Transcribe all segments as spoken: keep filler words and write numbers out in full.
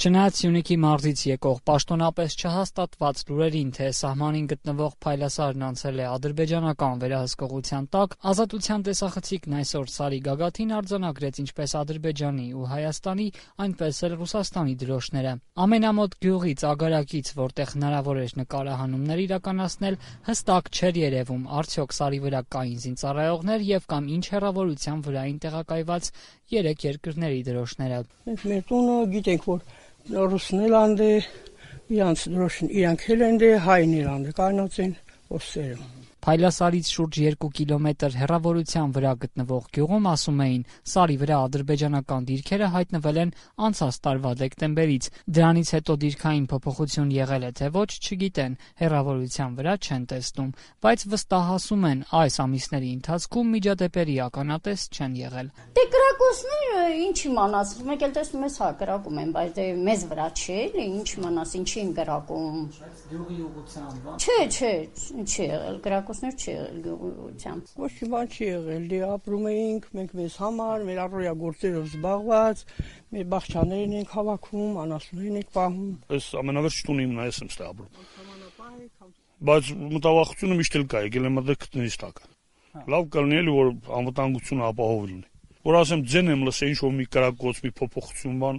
Չնայած Սյունիքի մարզից եկող պաշտոնապես չհաստատված լուրերին, թե սահմանին գտնվող Փայլասարն անցել է ադրբեջանական վերահսկողության տակ, Ազատության տեսախցիկն այսօր Սարի գագաթին արձանագրեց ինչպես Ադրբեջանի ու Հայաստանի, այնպես էլ Ռուսաստանի դրոշները։ Ամենամոտ գյուղից, ագարակից, որտեղ հնարավոր էր նկարահանումներ իրականացնել, հստակ չէր երևում արդյոք Սարի վրա կային զինծառայողներ եւ կամ ինչ հեռավորության վրա էին տեղակայված երեք երկրների դրոշները։ Մեր տունը գիտենք, որ Ռուսներ անդե, իրանց դրոշն իրանք էլ են դե, հայներ անդե, կանոց են, ոստերը։ Փայլասարից շուրջ երկու կիլոմետր հեռավորության վրա գտնվող գյուղում ասում էին, Սարի վրա ադրբեջանական դիրքերը հայտնվել են անցած տարվա դեկտեմբերից, դրանից հետո դիրքային փոփոխություն եղել է թե ոչ, չգիտեն, հեռավորության վրա չեն տեսնում, բայց վստահ են այս ամիսների ընթացքում միջադեպերի ականատես չեն եղել։ Դե կրակոցները ինչ իմանաս, մեկ էլ տեսնում ես հա կրակում են, բայց դե մեզ վրա չէ, էլի ինչ իմանաս, ինչի են կրակում։ Գյուղի ուղղությամբ։ Չէ, չէ, չի եղել կրակոցներ չի եղել գյուղի ուղղությամբ։ Ոչ մի բան չի եղել, դե ապրում էինք մենք մեզ համար, մեր առօրյա գործերով զբաղված, մեր բաղճաներն ենք հավաքում, անասուններն ենք պահում։ Այս ամենավերջ տունը իմն է, ես եմ ստե ապրում։ Բայց մտավախությունը միշտ էլ կա, եկել եմ այդտեղ քթներից տակը։ Լավ կլինի էլի որ անվտանգությունը ապահով լինի։ Որ ասեմ ձեն եմ լսել ինչ որ մի կրակոց, մի փոփոխություն բան,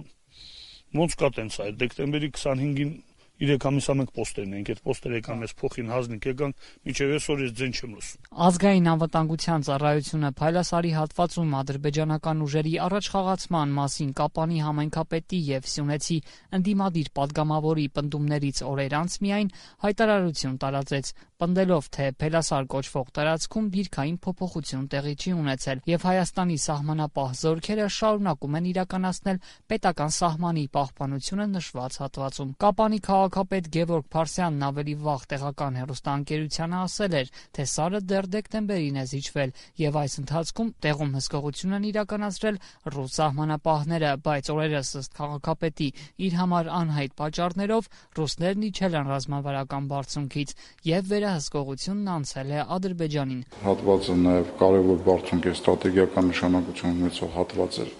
ոնց կա տենց այդ դեկտեմբերի քսանհինգին Իրեք ամիսա մենք պոստերն ենք, այդ պոստերը եկան մեզ փոխին հազնիկ եկանք, մինչև այսօր ես ձեն չեմ լսում։ Ազգային անվտանգության ծառայությունը Փայլասարի հատվածում ադրբեջանական ուժերի առաջխաղացման մասին Կապանի համայնքապետի եւ Սյունեցի ընդդիմադիր падգամավորի պնդումներից օրեր անց միայն հայտարարություն տարածեց, պնդելով, թե Փայլասար կոչվող տարածքում դիրքային փոփոխություն տեղի չի ունեցել եւ Հայաստանի սահմանապահ զորքերը շարունակում են իրականացնել պետական սահմանի պահպանությունը նշված հատվածում։ Կապանի քաղաքապետ Գևորգ Փարսյանն ավելի վաղ տեղական հեռուստաընկերությանը ասել էր, թե Սարը դեռ դեկտեմբերին է զիջվել եւ այս ընթացքում տեղում հսկողություն են իրականացրել ռուս սահմանապահները, բայց օրերս ըստ քաղաքապետի իր համար անհայտ պատճառներով ռուսներն իջել են ռազմավարական բարձունքից եւ վերահսկողությունն անցել է Ադրբեջանին։ Հատվածը նաեւ կարևոր բարձունք է, ստրատեգիական նշանակություն ունեցող հատված էր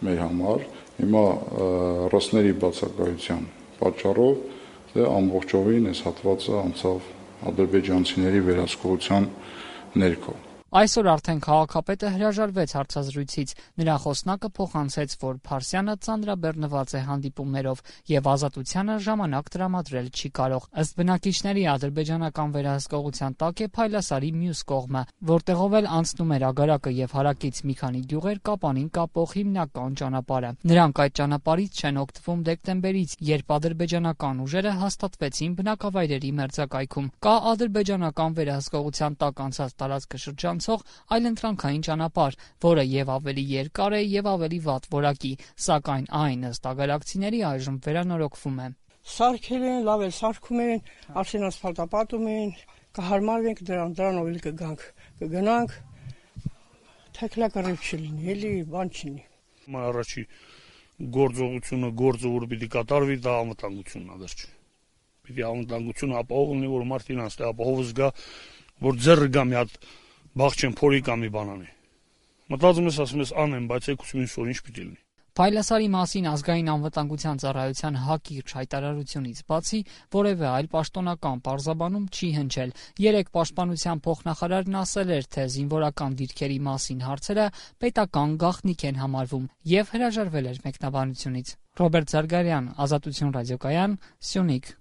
մեր համար։ Հիմա ռուսների բացակայության պատճառով դե ամբողջովին այս հատվածը անցավ ադրբեջանցիների վերահսկողության ներքո։ Այսօր արդեն քաղաքապետը հրաժարվեց հարցազրույցից, նրա խոսնակը փոխանցեց, որ Փարսյանը ծանրաբեռնված է հանդիպումներով եւ Ազատությանը ժամանակ տրամադրել չի կարող։ Ըստ բնակիչների ադրբեջանական վերահսկողության տակ է Փայլասարի մյուս կողմը, որտեղով էլ անցնում էր ագարակը եւ հարակից մի քանի գյուղեր Կապանին կապող հիմնական ճանապարհը։ Նրանք այդ ճանապարհից չեն օգտվում դեկտեմբերից, երբ ադրբեջանական ուժերը հաստատվեցին բնակավայրերի մերձակայքում։ Կա ադրբեջանական վերահսկողության տակ անցած տարածքաշրջան այլընտրանքային ճանապարհ, որը եւ ավելի երկար է եւ ավելի վատ որակի, սակայն այն ըստ ագարակցիների այժմ վերանորոգվում է։ Սարքել են, լավ էլ սարքում են, արդեն ասֆալտապատում են, կհարմարվենք դրան, դրանով էլ կգանք, կգնանք, թեքլակռիվ չլինի, էլի բան չլինի։ Առաջի գործողությունը, գործը որ պիտի կատարվի, դա անվտանգությունն է վերջ։ Պիտի անվտանգությունը ապահով լինի, որ մարդին անց ապահով զգա, որ ձեռը գա մի հատ բաղ չեմ փորի կամ մի բանանի։ Մտածում ես, ասում ես անեմ, բայց եկուս մինչ որ ինչ պիտի լինի։ Փայլասարի մասին ազգային անվտանգության ծառայության հակիրճ հայտարարությունից բացի որևէ այլ պաշտոնական պարզաբանում չի հնչել։ Երեք պաշտպանության փոխնախարարն ասել էր, թե զինվորական դիրքերի մասին հարցերը պետական գաղտնիք են համարվում եւ հրաժարվել էր մեկնաբանությունից։ Ռոբերտ Զարգարյան, Ազատություն ռադիոկայան, Սյունիք։